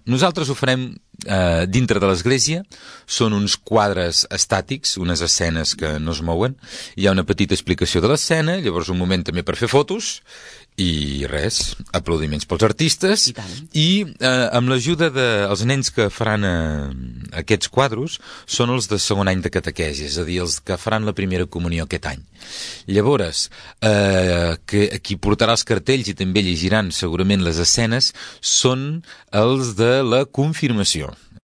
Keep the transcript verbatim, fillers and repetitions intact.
nosaltres ho farem eh, dintre de l'església. Són uns quadres estàtics, unes escenes que no es mouen. Hi ha una petita explicació de l'escena, llavors un moment també per fer fotos, i res, aplaudiments pels artistes. I tant. I eh, amb l'ajuda dels nens que faran eh, aquests quadros són els de segon any de catequesi, és a dir, els que faran la primera comunió aquest any. Llavors, eh, que, qui portarà els cartells i també llegiran segurament les escenes són els de la confirmació.